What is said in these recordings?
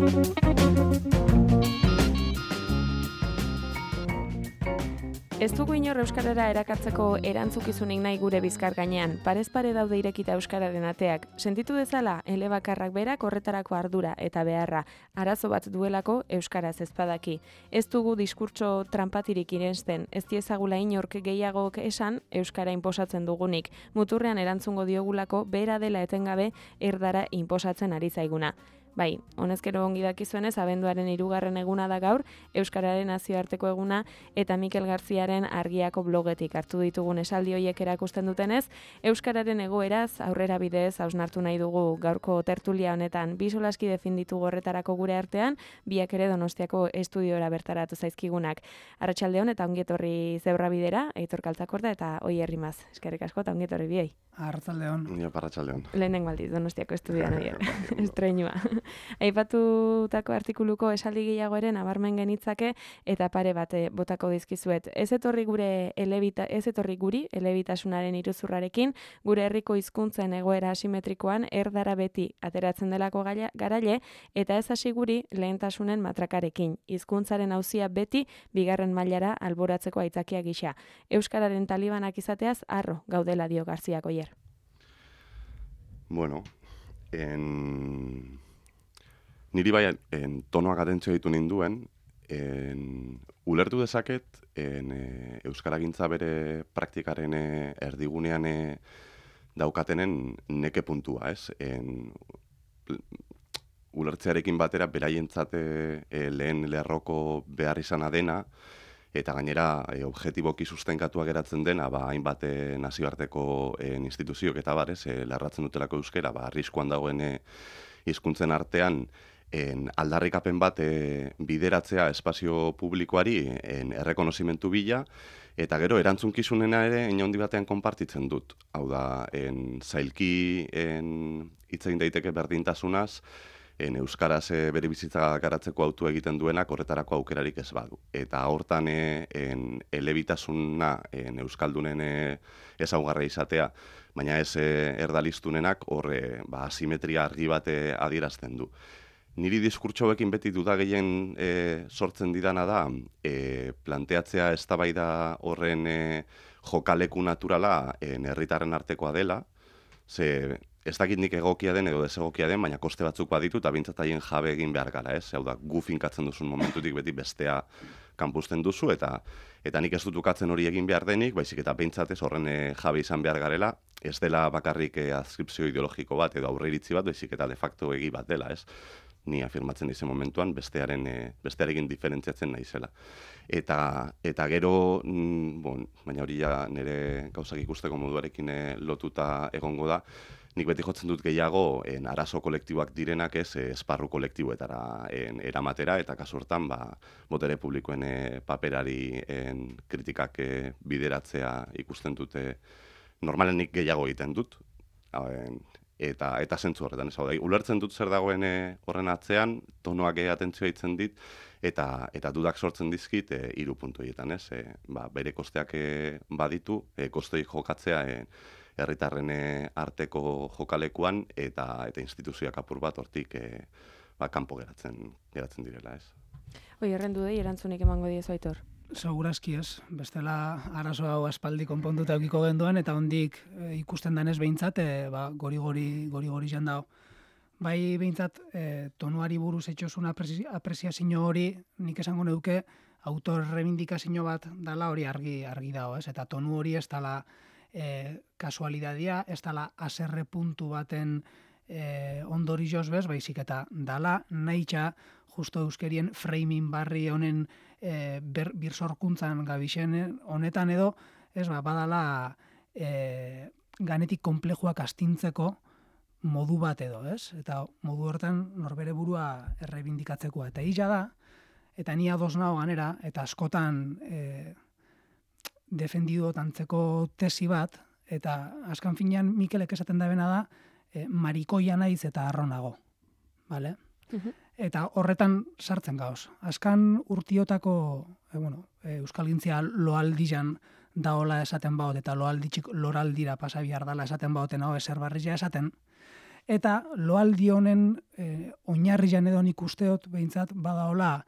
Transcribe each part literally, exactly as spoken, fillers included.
Ez dugu inor euskarara erakartzeko erantzukizunik nahi gure bizkar gainean. Parez pare daude irekita euskararen ateak. Sentitu dezala, elebakarrak berak horretarako ardura eta beharra. Arazo bat duelako euskaraz ezpadaki. Ez dugu diskurtso tranpatirik irensten, ez diezagula inork gehiagok esan euskara inposatzen dugunik. Muturrean erantzungo diogulako bera dela etengabe erdara inposatzen ari zaiguna. Bai, honezkero ongi dakizuenez, abenduaren hirugarren eguna da gaur, Euskararen nazioarteko eguna eta Mikel Garziaren Argiako blogetik hartu ditugun esaldi horiek erakusten dutenez, Euskararen egoeraz, aurrera bidez, hausnartu nahi dugu gaurko tertulia honetan bi solaski definditu horretarako gure artean, biak ere Donostiako estudiora bertaratu zaizkigunak. Arratsaldeon eta ongietorri Zebra Bidera, Aitor Kaltzakorda eta Oier Rimaz. Eskerrik asko eta ongietorri biei. Arratsaldeon. Ni arratsaldeon. Lehenengo aldiz Donostiako estudioan Oier. Estreinua. Aipatutako artikuluko esaldi gehiago ere nabarmen genitzake eta pare bat botako dizkizuet. Ez etorri gure elebita, ez etorri guri elebitasunaren iruzurrarekin, gure herriko hizkuntzen egoera asimetrikoan erdara beti ateratzen delako garaile eta ez hasi guri lehentasunen matrakarekin. Hizkuntzaren auzia beti bigarren mailara alboratzeko aitzakia gisa. Euskararen talibanak izateaz harro gaudela dio Garziak Oier. Bueno, en niri bai en tonoak atentzio ditu ninduen, en ulertu dezaket en e, euskaragintza bere praktikaren e, erdigunean e, daukatenen neke puntua, ez? En ulertzearekin batera beraientzat e, lehen lerroko behar izana dena eta gainera e, objetiboki sustenkatua geratzen dena, ba hainbat e, nazioarteko e, instituzioak eta barez, e, lerratzen dutelako euskera, ba arriskuan dagoen e, hizkuntzen artean en aldarrikapen bat e, bideratzea espazio publikoari en errekonozimentu bila, eta gero erantzunkizunena ere inaundi batean konpartitzen dut. Hau da, en zailki en hitz egin daiteke berdintasunaz, en euskaraz e, bere bizitza garatzeko autu egiten duenak horretarako aukerarik ez badu. Eta hortan e, en elebitasuna en euskaldunen e, ezaugarri izatea, baina ez e, erdaliztunenak horre ba, asimetria argi bat e, adierazten du. Niri diskurtsoekin beti duda gehien e, sortzen didana da, e, planteatzea eztabaida horren e, jokaleku naturala en herritarren artekoa dela, ze ez dakit nik egokia den edo desegokia den, baina koste batzuk baditu eta bintzat haien jabe egin behar gara, ez? Hau da, gu finkatzen duzun momentutik beti bestea kanpusten duzu, eta eta nik ez dut ukatzen hori egin behar denik, baizik eta behintzatez horren e, jabe izan behar garela, ez dela bakarrik e, adskripzio ideologiko bat edo aurreiritzi bat, baizik eta de facto egi bat dela, ez? Ni afirmatzen dizen momentuan bestearen e, bestearekin diferentziatzen naizela. Eta eta gero, mm, bon, baina hori ja nire gauzak ikusteko moduarekin e, lotuta egongo da, nik beti jotzen dut gehiago en arazo kolektiboak direnak ez e, esparru kolektiboetara en, eramatera, eta kasu hortan ba, botere publikoen e, paperari en, kritikak e, bideratzea ikusten dute normalen nik gehiago egiten dut. En, eta eta zentzu horretan, ez hau da, ulertzen dut zer dagoen e, horren atzean, tonoak e, atentzioa itzen dit, eta eta dudak sortzen dizkit e, hiru puntu horietan, ez? E, ba, bere kosteak e, baditu, e, kostei jokatzea e, herritarren e, arteko jokalekuan eta eta instituzioak apur bat hortik e, ba, kanpo geratzen geratzen direla, ez? Oi, errendu dei erantzunik emango diezu Aitor. Segurazki ez, bestela arazo hau aspaldi konponduta eukiko genduen, eta hondik e, ikusten danez behintzat, e, ba, gori-gori gori-gori jan dago. Bai behintzat, e, tonuari buruz etxosun apresi, apreziazio hori, nik esango neuke, autor rebindikazio bat dala hori argi argi dago, ez? Eta tonu hori ez dala e, kasualidadia, ez dala aserre puntu baten e, ondori joz bez, baizik eta dala nahitxa justo euskerien framing barri honen e, ber, birsorkuntzan gabixen honetan edo, ez ba, badala e, ganetik konplejuak astintzeko modu bat edo, ez? Eta modu hortan norbere burua errebindikatzeko. Eta hila da, eta ni ados nao ganera, eta askotan e, defendido tantzeko tesi bat, eta askan finean Mikelek esaten da bena da, e, marikoia naiz eta arronago. Vale? Uh-huh. Eta horretan sartzen gauz. Azkan urtiotako, e, bueno, e, euskalgintzia loaldian daola esaten baut, eta loalditxik loraldira pasabiar dala esaten bauten hau eser barria esaten, Eta loaldi honen e, oinarrian edo nik usteot behintzat badaola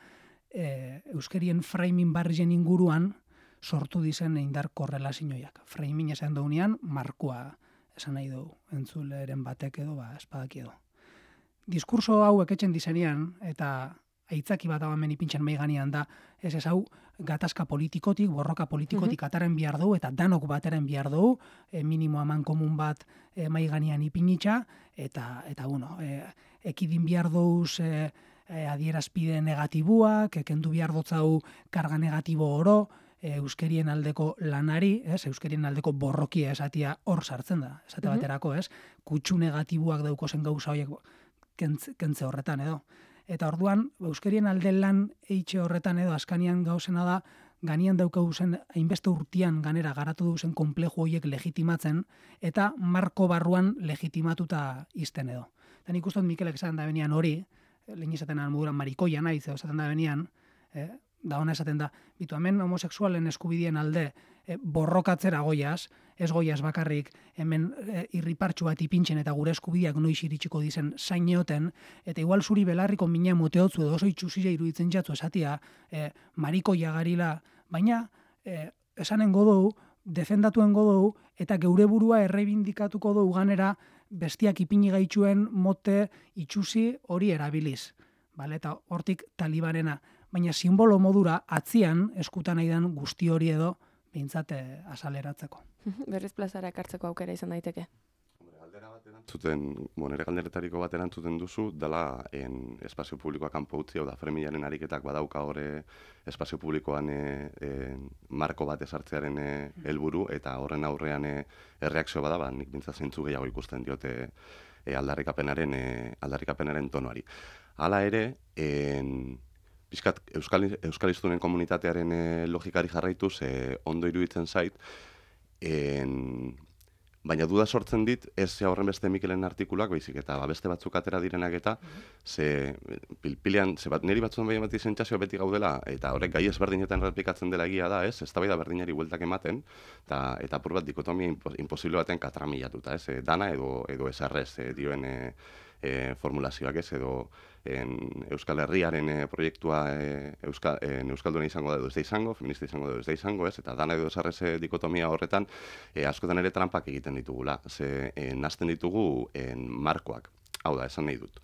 e, euskerien framing barrien inguruan sortu dizen indar korrelazioiak. Framing esan daunean, markoa esan nahi du entzuleren batek edo, ba, espadak edo. Diskurso hauek etxen dizenean, eta aitzaki bat hau hemen ipintxen meiganean da, ez ez hau, gatazka politikotik, borroka politikotik uh-huh. ataren bihar dugu, eta danok bateren bihar dugu, e, minimo aman komun bat e, maiganean ipinitxa, eta, eta bueno, e, ekidin bihar duz e, e, adierazpide negatibuak, e, kendu bihar dotzau karga negatibo oro, e, euskerien aldeko lanari, ez, euskerien aldeko borrokia esatia hor sartzen da, esate uh-huh. baterako, ez, kutsu negatibuak daukozen gauza horiek kentze, kentze horretan edo. Eta orduan, euskerien alde lan eitxe horretan edo askanian gauzena da, ganian daukagu zen, hainbeste urtian ganera garatu duzen konpleju horiek legitimatzen, eta marko barruan legitimatuta izten edo. Eta nik ustot Mikelek esaten da benian hori, lehen izaten moduran marikoia naiz, esaten da benian, eh, da ona esaten da, bitu hemen homosexualen eskubidien alde e, borrokatzera goiaz, ez goiaz bakarrik hemen e, irripartxu bat ipintzen eta gure eskubideak noiz iritsiko dizen zaineoten, eta igual zuri belarriko mina moteotzu edo oso itxusila iruditzen jatzu esatia e, marikoia garila, baina e, esanen godou, defendatuen godou, eta geure burua errebindikatuko dugu ganera bestiak ipini gaitxuen mote itxusi hori erabiliz. Bale? Eta hortik talibanena. Baina simbolo modura atzian eskutan aidan guzti hori edo behintzat asaleratzeko. Berriz plazara ekartzeko aukera izan daiteke. Zuten, nire galderetariko bat erantzuten duzu, dela en, espazio publikoa kanpo utzi, hau da, Fremillaren ariketak badauka hori espazio publikoan e, e, marko bat esartzearen helburu eta horren aurrean e, erreakzio bada, ba, nik bintza zeintzu gehiago ikusten diote e, aldarrikapenaren, e, aldarrikapenaren tonuari. Hala ere, en, Bizkat, Euskal, Euskaliztunen komunitatearen e, logikari jarraituz e, ondo iruditzen zait, en, baina duda sortzen dit, ez horren beste Mikelen artikulak, baizik eta ba, beste batzuk atera direnak eta, ze pilpilean, ze bat, niri batzuen behin bat izen txasio beti gaudela, eta horrek gai ezberdinetan repikatzen dela egia da, ez, ez da bai da berdinari bueltak ematen, eta, eta apur bat dikotomia imposible baten katramilatuta, ez, e, dana edo, edo esarrez e, dioen e, e, formulazioak ez, edo en Euskal Herriaren e, proiektua e, Euskal, e, Euskalduna izango da edo ez da izango, feminista izango da edo ez da izango, ez, eta dana edo esarrez e, dikotomia horretan e, askotan ere trampak egiten ditugula, ze e, nazten ditugu en, markoak, hau da, esan nahi dut.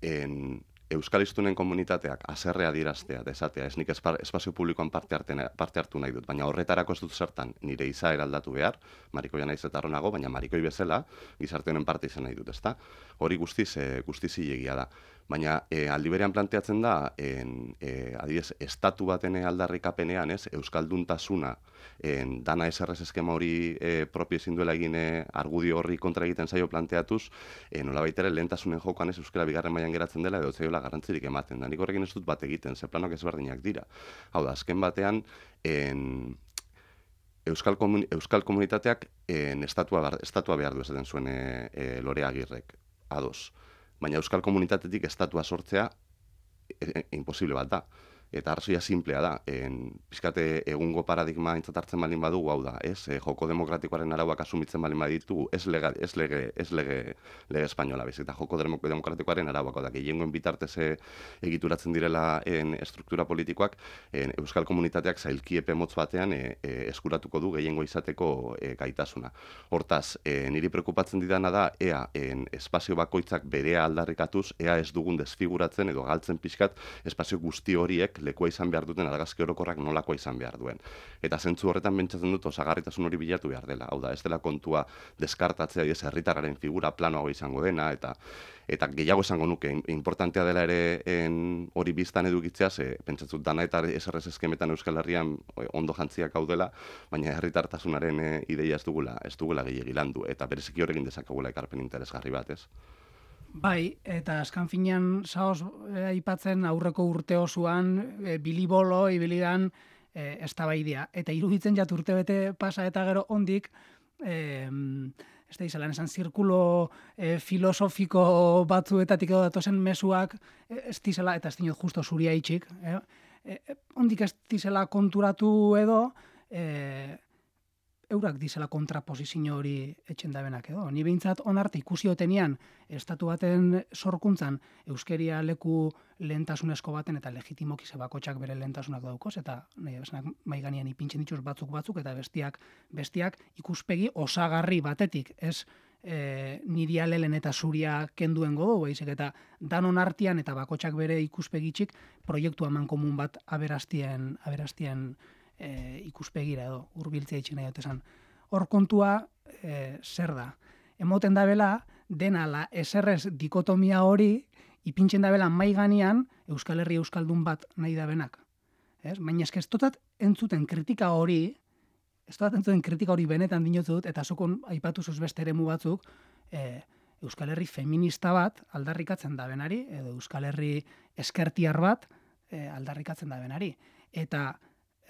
En, Euskaliztunen komunitateak haserrea diraztea, desatea, ez nik espazio publikoan parte, arte, parte hartu nahi dut, baina horretarako ez dut zertan nire izaera aldatu behar, marikoia naiz eta arronago, baina marikoi bezala gizarte honen parte izan nahi dut, ezta? Hori guztiz, e, guztiz zilegia da. Baina e, aldi berean planteatzen da, en, e, adibidez, estatu baten aldarrikapenean, ez, euskalduntasuna, en, dana eserrez eskema hori e, propio ezin duela egin e, argudio horri kontra egiten zaio planteatuz, e, nola baitere lehentasunen jokoan ez euskara bigarren mailan geratzen dela edo zaiola garrantzirik ematen. Da, nik horrekin ez dut bat egiten, ze planok ezberdinak dira. Hau da, azken batean, en, Euskal, komun, Euskal komunitateak en, estatua, estatua behar du esaten zuen e, e, Lore Agirrek, ados. Baina Euskal komunitatetik estatua sortzea e, e, imposible bat da. Eta arrazoia simplea da, en, pizkate egungo paradigma aintzat hartzen balin badugu, hau da, ez, e, joko demokratikoaren arauak asumitzen balin baditugu, ez lege, ez lege, ez lege, lege espainola, bez, eta joko demokratikoaren arauak, hau da, gehiengoen bitartez egituratzen direla en, struktura politikoak, en, Euskal komunitateak zailkiepe motz batean e, e, eskuratuko du gehiengo izateko e, gaitasuna. Hortaz, e, niri preokupatzen didana da, ea, en, espazio bakoitzak berea aldarrikatuz, ea ez dugun desfiguratzen edo galtzen pixkat espazio guzti horiek lekua izan behar duten argazki orokorrak nolakoa izan behar duen. Eta zentzu horretan pentsatzen dut osagarritasun hori bilatu behar dela. Hau da, ez dela kontua deskartatzea, ez herritarraren figura planoago izango dena, eta eta gehiago esango nuke, importantea dela ere en, hori biztan edukitzea, ze pentsatzut dana eta eserrez eskemetan Euskal Herrian ondo jantziak hau dela, baina herritartasunaren e, ideia ez dugula, ez dugula gehiagi landu, eta bereziki horrekin dezakagula ekarpen interesgarri bat, ez? Bai, eta azkan finean zaoz eh, aipatzen aurreko urte osoan eh, bilibolo, ibilidan eh, eztabaidia. Eta iruditzen jat urte bete pasa eta gero ondik, eh, ez da izalan esan zirkulo eh, filosofiko batzuetatik edo datozen mezuak, eh, ez dizela, eta ez dinot justo zuria itxik, eh, eh, ondik ez dizela konturatu edo, eh, eurak dizela kontraposizio hori etxen dabenak edo. Ni behintzat onarte ikusi otenian estatu baten sorkuntzan euskeria leku lehentasunezko baten eta legitimoki ze bakotxak bere lehentasunak daukoz eta nahi besanak mai gainean ipintzen dituz batzuk batzuk eta bestiak bestiak ikuspegi osagarri batetik, ez e, niri alelen eta zuria kenduen godo, baizik eta danon artean eta bakotxak bere ikuspegitxik proiektu eman komun bat aberastien aberastien E, ikuspegira edo hurbiltzea itxen nahi dut esan. Hor kontua e, zer da? Emoten dabela dena la eserrez dikotomia hori ipintzen dabela mai ganean Euskal Herri Euskaldun bat nahi dabenak. Ez? Baina eske ez dotat entzuten kritika hori, ez dotat entzuten kritika hori benetan dinotzu dut, eta zukon aipatu zuz beste eremu batzuk, e, Euskal Herri feminista bat aldarrikatzen dabenari, edo Euskal Herri eskertiar bat e, aldarrikatzen dabenari. Eta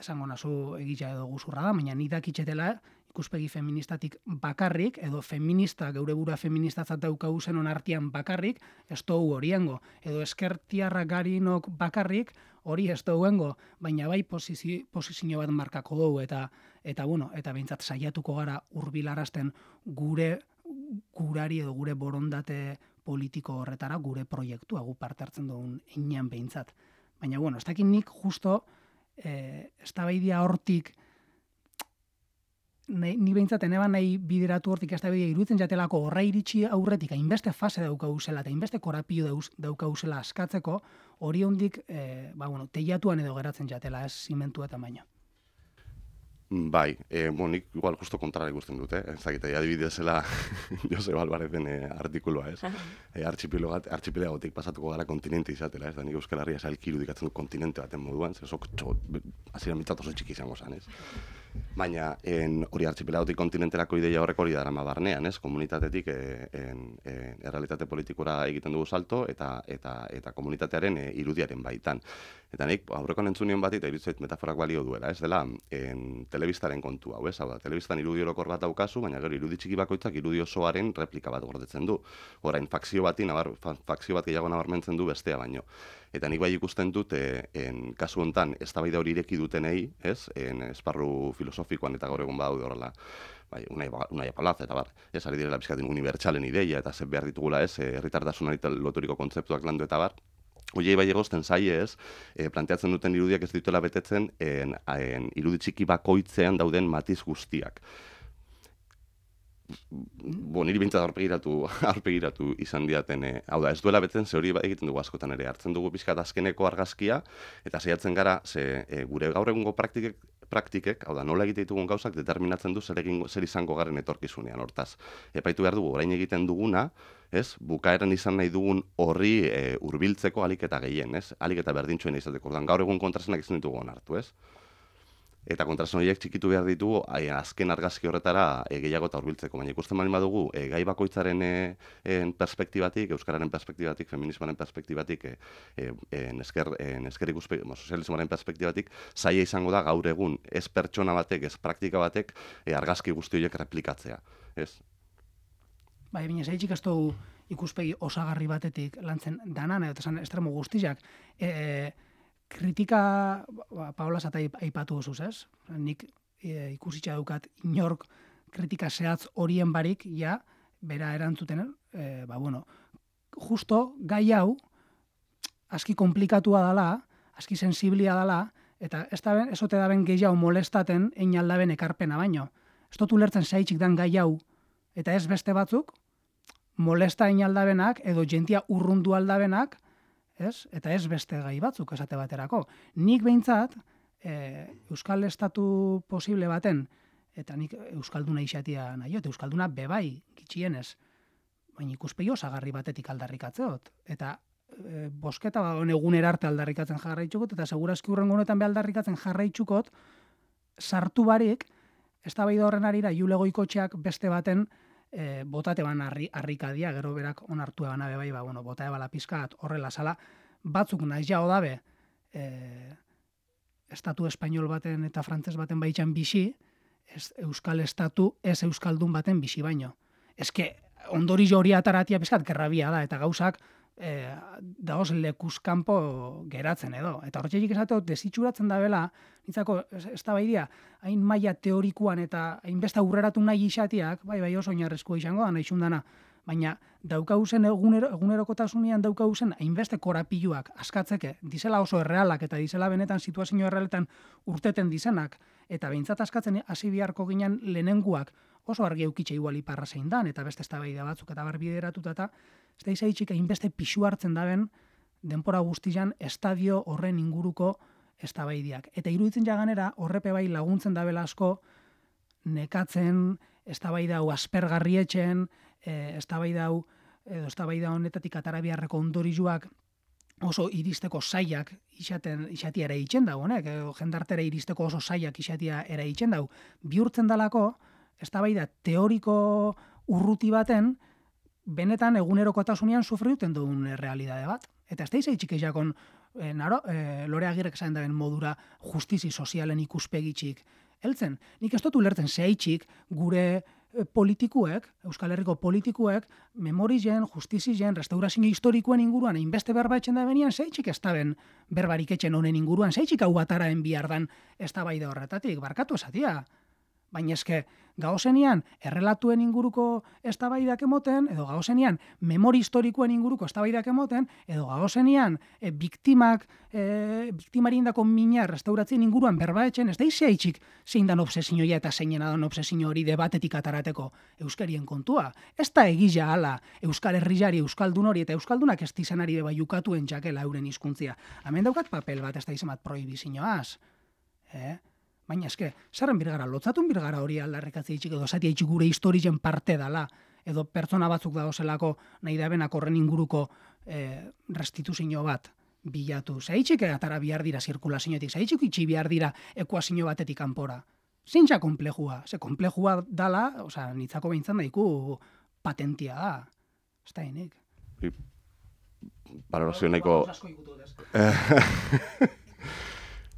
esango nazu egitea edo guzurra da, baina nik dakitzetela ikuspegi feministatik bakarrik, edo feminista, geure burua feministatzat daukagu zenon artean bakarrik, ez dugu horiengo. Edo eskertiarra garinok bakarrik, hori ez duguengo, baina bai posizio, posizio bat markako dugu, eta, eta, bueno, eta behintzat saiatuko gara hurbilarazten gure gurari edo gure borondate politiko horretara, gure proiektua, gu parte hartzen dugun inean behintzat. Baina, bueno, ez dakit nik justo Eh, eztabaidia hortik nahi, ni behintzat eneban nahi bideratu hortik eztabaidia iruditzen jatelako horra iritsi aurretik hainbeste fase daukaguzela eta hainbeste korapio daukaguzela askatzeko hori hondik eh, ba, bueno, teiatuan edo geratzen jatela, ez zimentu eta baino. Bai, e, bon, nik igual justo kontrara ikusten dute, eh? Ez dakit, adibidezela Joseba Albarezen e, artikulua, ez? E, Artxipilegotik pasatuko gara kontinente izatela, ez da nik Euskal Herria zailki irudikatzen du kontinente baten moduan, ze sok hasieran mitzat oso txiki izango zen, ez? Baina en, hori artxipilegotik kontinenterako ideia horrek hori darama barnean, ez? Komunitatetik e, en, en, errealitate politikora egiten dugu salto eta eta eta komunitatearen e, irudiaren baitan. Eta nik aurreko entzunion bat eta iruditzen metaforak balio duela, ez dela en, telebistaren kontu hau, ez? Hau da, telebistan irudi orokor bat daukazu, baina gero irudi txiki bakoitzak irudi osoaren replika bat gordetzen du. Orain fakzio bati nabar, fakzio bat gehiago nabarmentzen du bestea baino. Eta nik bai ikusten dut e, en, kasu hontan eztabaida hori ireki dutenei, ez? En esparru filosofikoan eta gaur egun badaude horrela. Bai, unai, unai apalaz, eta bar, ez ari direla bizkatin unibertsalen ideia, eta zer behar ditugula, ez, herritartasunari loturiko kontzeptuak landu eta bar. Oiei bai egozten zaie ez, e, planteatzen duten irudiak ez dituela betetzen en, en, irudi txiki bakoitzean dauden matiz guztiak. Bo, niri bintzat aurpegiratu, aurpegiratu izan diaten, e, hau da, ez duela betzen, ze hori egiten dugu askotan ere, hartzen dugu pixkat azkeneko argazkia, eta saiatzen gara, ze e, gure gaur egungo praktikek, praktikek, hau da, nola egite ditugun gauzak determinatzen du zer, egingo, zer izango garen etorkizunean, hortaz. Epaitu behar dugu, orain egiten duguna, ez, bukaeran izan nahi dugun horri e, hurbiltzeko alik eta gehien, ez, alik eta berdintxoen izateko, ordan gaur egun kontrasenak izan ditugu onartu, ez. Eta kontrasen horiek txikitu behar ditugu ai, azken argazki horretara e, gehiago eta hurbiltzeko. Baina ikusten baldin badugu e, gai bakoitzaren e, en perspektibatik, euskararen perspektibatik, feminismoaren perspektibatik, e, e, en esker, en esker ikuspegi, sozialismoaren perspektibatik, zaila izango da gaur egun ez pertsona batek, ez praktika batek e, argazki guzti horiek replikatzea. Ez? Bai, baina zaitxik ez dugu ikuspegi osagarri batetik lantzen danan, eta esan estremo guztiak. E, kritika, ba, Paola zata aipatu duzuz, ez? Nik e, ikusitza dukat inork kritika zehatz horien barik, ja, bera erantzuten, e, ba, bueno, justo gai hau, aski komplikatua dala, aski sensiblia dala, eta ez da ben, ezote da ben gehiago molestaten ein aldaben ekarpena baino. Ez dut ulertzen zaitxik dan gai hau, eta ez beste batzuk, molesta ein aldabenak, edo jentia urrundu aldabenak, ez? Eta ez beste gai batzuk esate baterako. Nik behintzat, e, Euskal Estatu posible baten, eta nik Euskalduna izatia nahi, eta Euskalduna bebai gitxienez, baina ikuspegi osagarri batetik aldarrikatzeot. Eta e, bosketa ba, egunera arte aldarrikatzen jarraitxukot, eta segurazki hurrengo honetan be aldarrikatzen jarraitxukot, sartu barik, eztabaida horren arira Jule Goikotxeak beste baten E, botate ban harrikadia, gero berak onartu eban abe bai, ba, bueno, bota ebala pizkat horrela sala, batzuk nahi jau dabe e, estatu espainol baten eta frantses baten baitxan bixi, ez, euskal estatu ez euskaldun baten bixi baino. Eske, ondori hori ataratia pizkat gerrabia da, eta gauzak e, dagoz lekuzkanpo geratzen edo. Eta hortxeik esateo, desitxuratzen da bela, nintzako, ez da baidia, hain maila teorikuan eta hainbeste aurreratu nahi isatiak, bai, bai oso oinarrezko izango da, nahi xundana, baina daukauzen egunero, egunerokotasunean daukauzen hainbeste korapiluak askatzeke, dizela oso errealak eta dizela benetan situazio errealetan urteten dizenak, eta behintzat askatzen hasi biharko ginen lehenenguak oso argi eukitxe igual iparra zein dan, eta beste eztabaida batzuk eta barbideratuta eta ez da izaitxik hainbeste pixu hartzen daben denpora guztian estadio horren inguruko eztabaidiak. Eta iruditzen jaganera horrepe bai laguntzen dabela asko nekatzen, eztabaida hau aspergarrietxen, e, eztabaida hau edo eztabaida honetatik atara biharreko ondorioak oso iristeko saiak isaten isatia ere itzen dago, honek, edo jendartera iristeko oso saiak isatia ere itzen dago. Bihurtzen dalako eztabaida teoriko urruti baten benetan egunerokotasunean sufriuten duen realidade bat. Eta ez da izaitxik eiakon, e, naro, e, Lore Agirrek esan daben modura justizi sozialen ikuspegitxik heltzen. Nik ez dut ulertzen zehaitxik gure politikuek, Euskal Herriko politikuek, memorizen, justizizen, restaurazio historikoen inguruan, hainbeste berba etxen da benian, zeitxik ez daben berbarik etxen honen inguruan, zeitxik hau bataraen bihardan ez da baida horretatik, barkatu esatia. Baina eske, gauzenian, errelatuen inguruko eztabaidak emoten, edo gauzenian, memori historikoen inguruko eztabaidak emoten, edo gauzenian, e, biktimak, e, biktimari indako mina restauratzien inguruan berbaetxen, ez da izaitxik zein dan obsesioia eta zeinen adan obsesio hori debatetik atarateko euskarien kontua. Ez da egila ala, Euskal Herriari, Euskaldun hori eta Euskaldunak ez dizanari beba jukatuen jakela euren hizkuntzia. Hemen daukat papel bat, ez da izamat prohibizioaz. Eh? Baina eske, zerren birgara, lotzatun birgara hori aldarrikatzea itxik, edo zati itxik gure historien parte dala, edo pertsona batzuk dagozelako nahi dabenak horren inguruko e, restituzio bat bilatu. Zaitxik atara bihar dira zirkulazioetik, zaitxik itxi bihar dira ekuazio batetik kanpora. Zintza komplejua, ze komplejua dala, oza, nitzako behintzan daiku patentia da. Ez da hinek. Balorazio nahiko...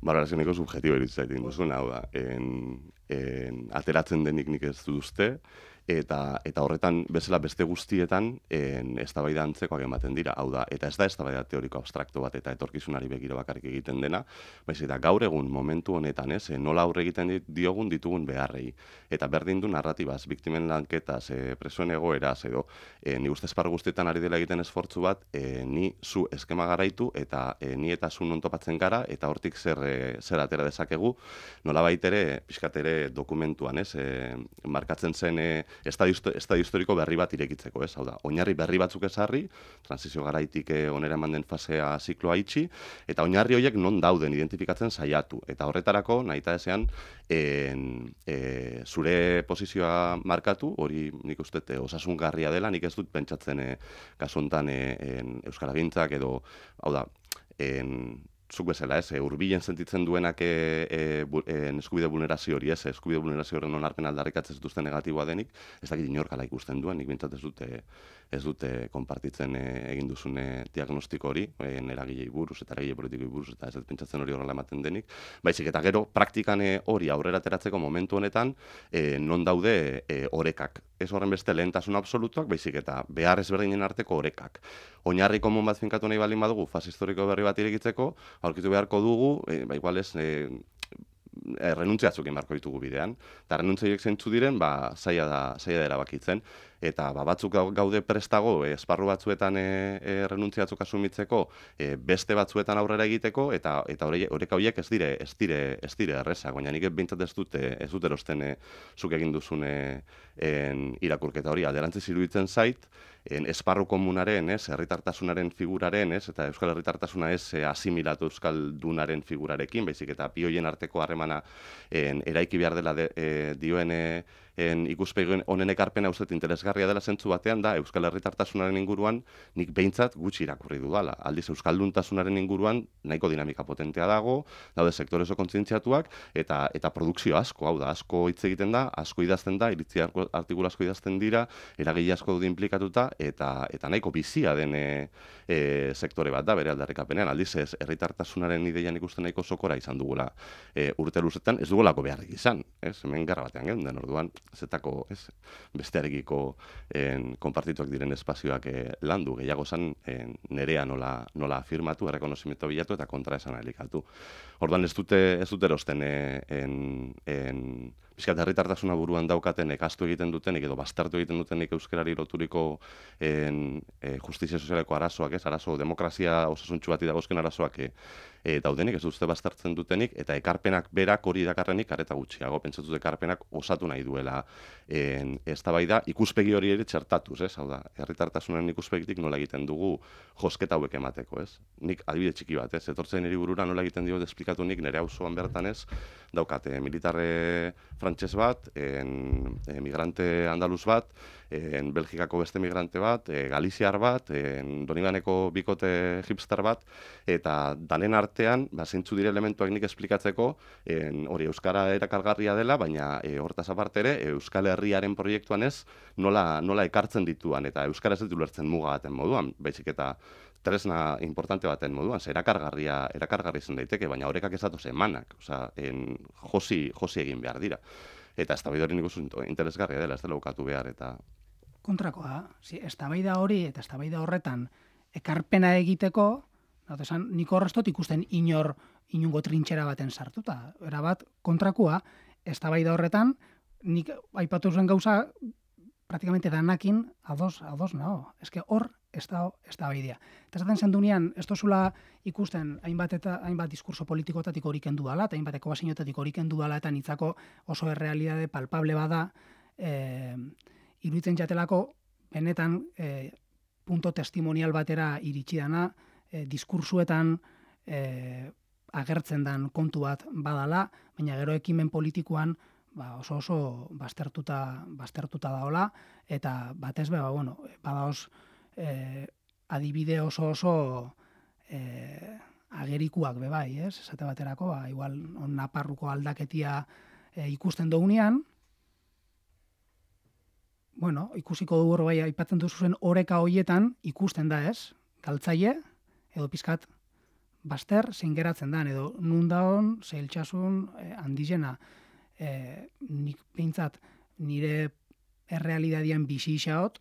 Balorazio nahiko subjetibo eritzen zaitin duzun, hau da, en, en, ateratzen denik nik ez duzte, eta eta horretan bezala beste guztietan en, eztabaida antzekoak ematen dira, hau da, eta ez da eztabaida teoriko abstrakto bat eta etorkizunari begira bakarrik egiten dena, baizik eta gaur egun momentu honetan, ez, nola aurre egiten diogun ditugun beharrei, eta berdin du narratibaz, biktimen lanketaz, e, presoen egoeraz, edo, e, ni uste esparru guztietan ari dela egiten esfortzu bat, e, ni zu eskema garaitu, eta e, ni eta zu non topatzen gara, eta hortik zer, e, zer atera dezakegu, nola baitere, pixkatere dokumentuan, ez, e, markatzen zen, e, estadio historiko berri bat irekitzeko, ez? Hau da, oinarri berri batzuk ezarri, transizio garaitik onera eman den fasea zikloa itxi, eta oinarri horiek non dauden identifikatzen saiatu. Eta horretarako, nahita ezean, en, e, zure posizioa markatu, hori nik uste osasungarria dela, nik ez dut pentsatzen e, kasu honetan e, Euskaragintzak edo, hau da, en, zuk bezala, ez, hurbilen sentitzen duenak e, e, e, eskubide vulnerazio hori, ez, eskubide vulnerazio horren onarpen aldarrikatzen zituzten negatiboa denik, ez dakit inorkala ikusten duen, nik bintzat ez dute, ez dute konpartitzen e, egin duzune diagnostiko hori, e, eragilei buruz eta eragile politikoi buruz, eta ez dut pentsatzen hori horrela ematen denik, baizik eta gero praktikan hori aurrera ateratzeko momentu honetan, e, non daude e, orekak. Ez horren beste lehentasun absolutuak, baizik eta behar ezberdinen arteko orekak. Oinarri komun bat finkatu nahi baldin badugu, fase historiko berri bat irekitzeko, aurkitu beharko dugu, e, ba, igual ez, e, e, renuntziatzuk emarko ditugu bidean. Eta renuntziak zeintzu diren, ba, zaila da, zaila da erabakitzen. Eta ba, batzuk gaude prestago, e, esparru batzuetan e, e, renuntziatzuk asumitzeko, e, beste batzuetan aurrera egiteko, eta eta oreka horiek ez dire, ez dire, ez dire errezak, baina nik behintzat ez dute, ez dut erosten e, zuk egin duzun e, en, irakurketa hori. Alderantziz iruditzen zait, en, esparru komunaren, ez, herritartasunaren figuraren, ez, eta euskal herritartasuna ez e, asimilatu euskaldunaren figurarekin, baizik eta bi horien arteko harremana en, eraiki behar dela de, e, dioen e, en ikuspegi honen ekarpena uste interesgarria dela zentzu batean da euskal herritartasunaren inguruan nik behintzat gutxi irakurri dudala. Aldiz euskalduntasunaren inguruan nahiko dinamika potentea dago, daude sektore oso kontzientziatuak eta eta produkzio asko, hau da, asko hitz egiten da, asko idazten da, iritzi artikulu asko idazten dira, eragile asko dut inplikatuta eta eta nahiko bizia den e, e, sektore bat da bere aldarrikapenean. Aldiz ez herritartasunaren ideian ikusten nahiko sokora izan dugula e, urte luzetan, ez dugulako beharrik izan, ez? Hemen gerra batean geunden, orduan zetako, ez, bestearekiko en, konpartituak diren espazioak e, landu, gehiago zan en, nerea nola, nola afirmatu, errekonozimento bilatu eta kontra esan elikatu. Orduan ez dute, ez dute erosten e, en, en, bizkat herritartasuna buruan daukaten ekastu egiten dutenik edo baztertu egiten dutenik euskarari loturiko en, e, justizia sozialeko arazoak, ez, arazo demokrazia osasuntxu bati dagozken arazoak e, e, daudenik, ez dute baztertzen dutenik, eta ekarpenak berak hori dakarrenik areta gutxiago, pentsatu dut ekarpenak osatu nahi duela en, eztabaida ikuspegi hori ere txertatuz, ez, hau da, herritartasunen ikuspegitik nola egiten dugu josketa hauek emateko, ez. Nik adibide txiki bat, ez, etortzen niri burura nola egiten dio esplikatu nik nire auzoan bertan ez, daukate militarre frantses bat, en, en migrante andaluz bat, en Belgikako beste migrante bat, e, galiziar bat, en Donibaneko bikote hipster bat, eta danen artean, ba, zeintzu dire elementuak nik esplikatzeko, en, hori euskara erakargarria dela, baina e, hortaz aparte ere, Euskal Herriaren proiektuan ez, nola, nola ekartzen dituan, eta euskara ez ditu lertzen muga baten moduan, baizik eta tresna importante baten moduan, ze erakargarria, erakargarri zen daiteke, baina horrekak ez datoz emanak, osea, en josi, josi egin behar dira. Eta eztabaida hori nik uste interesgarria dela, ez dela ukatu behar, eta... Kontrakoa, si, eztabaida hori eta eztabaida horretan ekarpena egiteko, esan, nik horrestot ikusten inor inungo trintxera baten sartuta. Erabat, kontrakoa, eztabaida horretan, nik aipatu zuen gauza, praktikamente danakin ados, ados nago. Eske hor, ez da, ez da baidea. Eta esaten zen dunean, ez tozula ikusten hainbat eta hainbat diskurso politikotatik hori kendu dala, eta hainbat ekobazinotatik hori kendu dala, eta nitzako oso errealitate palpable bada, e, iruditzen jatelako, benetan, e, punto testimonial batera iritsi dana, e, diskursuetan e, agertzen dan kontu bat badala, baina gero ekimen politikoan ba, oso oso baztertuta, baztertuta daola, eta batez be, ba, bueno, badaoz, Eh, adibide oso oso eh, agerikuak bebai, ez? Esate baterako, ba, igual on naparruko aldaketia eh, ikusten dugunean, bueno, ikusiko dugu bai aipatzen duzu zen oreka hoietan ikusten da, ez? Galtzaile edo pizkat baster zein geratzen dan, edo nun daon zeiltxasun eh, handizena. Eh, nik behintzat nire errealidadian bizi isaot,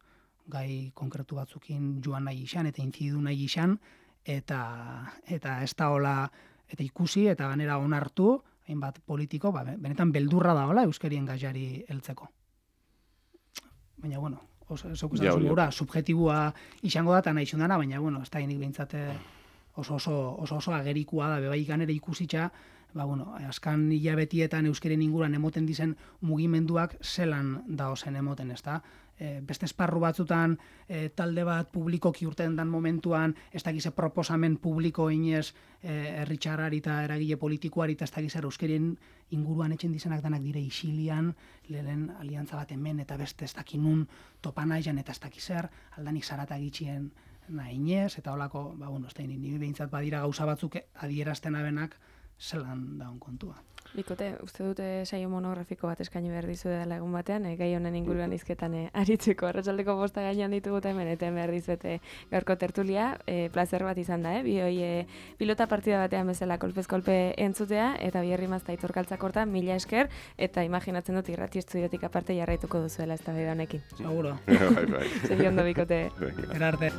gai konkretu batzukin joan nahi izan, eta intzidu nahi izan, eta, eta ez da hola, eta ikusi, eta ganera onartu, hainbat politiko, ba, benetan beldurra da hola euskarien gaiari heltzeko. Baina, bueno, oso, ja, gura, subjetibua izango da, eta nahi zundana, baina, bueno, ez da hinik behintzate oso oso, oso, oso agerikua da, bebai ganera ikusitza, ba, bueno, askan hilabetietan euskaren inguruan emoten dizen mugimenduak zelan daozen emoten, ez da? E, beste esparru batzutan e, talde bat publikoki urten dan momentuan, ez dakize proposamen publiko inez e, herritxarrari eta eragile politikoari eta ez dakize euskarien inguruan etxen dizenak danak dire isilian, lehen aliantza bat hemen eta beste ez dakinun topan aizan eta ez dakizer, aldanik zarata gitxien nahinez, eta holako, ba, bueno, ez da, nire behintzat badira gauza batzuk adierazten abenak zelan daun kontua. Bikote, uste dute saio monografiko bat eskaini behar dizu dela egun batean, eh, gai honen inguruan izketan eh, aritzeko. Arratsaldeko bosta gainean ditugut hemen, eta behar dizuete gaurko tertulia, eh, plazer bat izan da, eh? Bi hoi eh, pilota partida batean bezala kolpez-kolpe entzutea, eta biherri mazta iturkaltzak horta, mila esker, eta imaginatzen dut irrati estudiotik aparte jarraituko duzuela ez da bide honekin. Seguro. Bai, bai. Segi ondo, bikote. Erarte.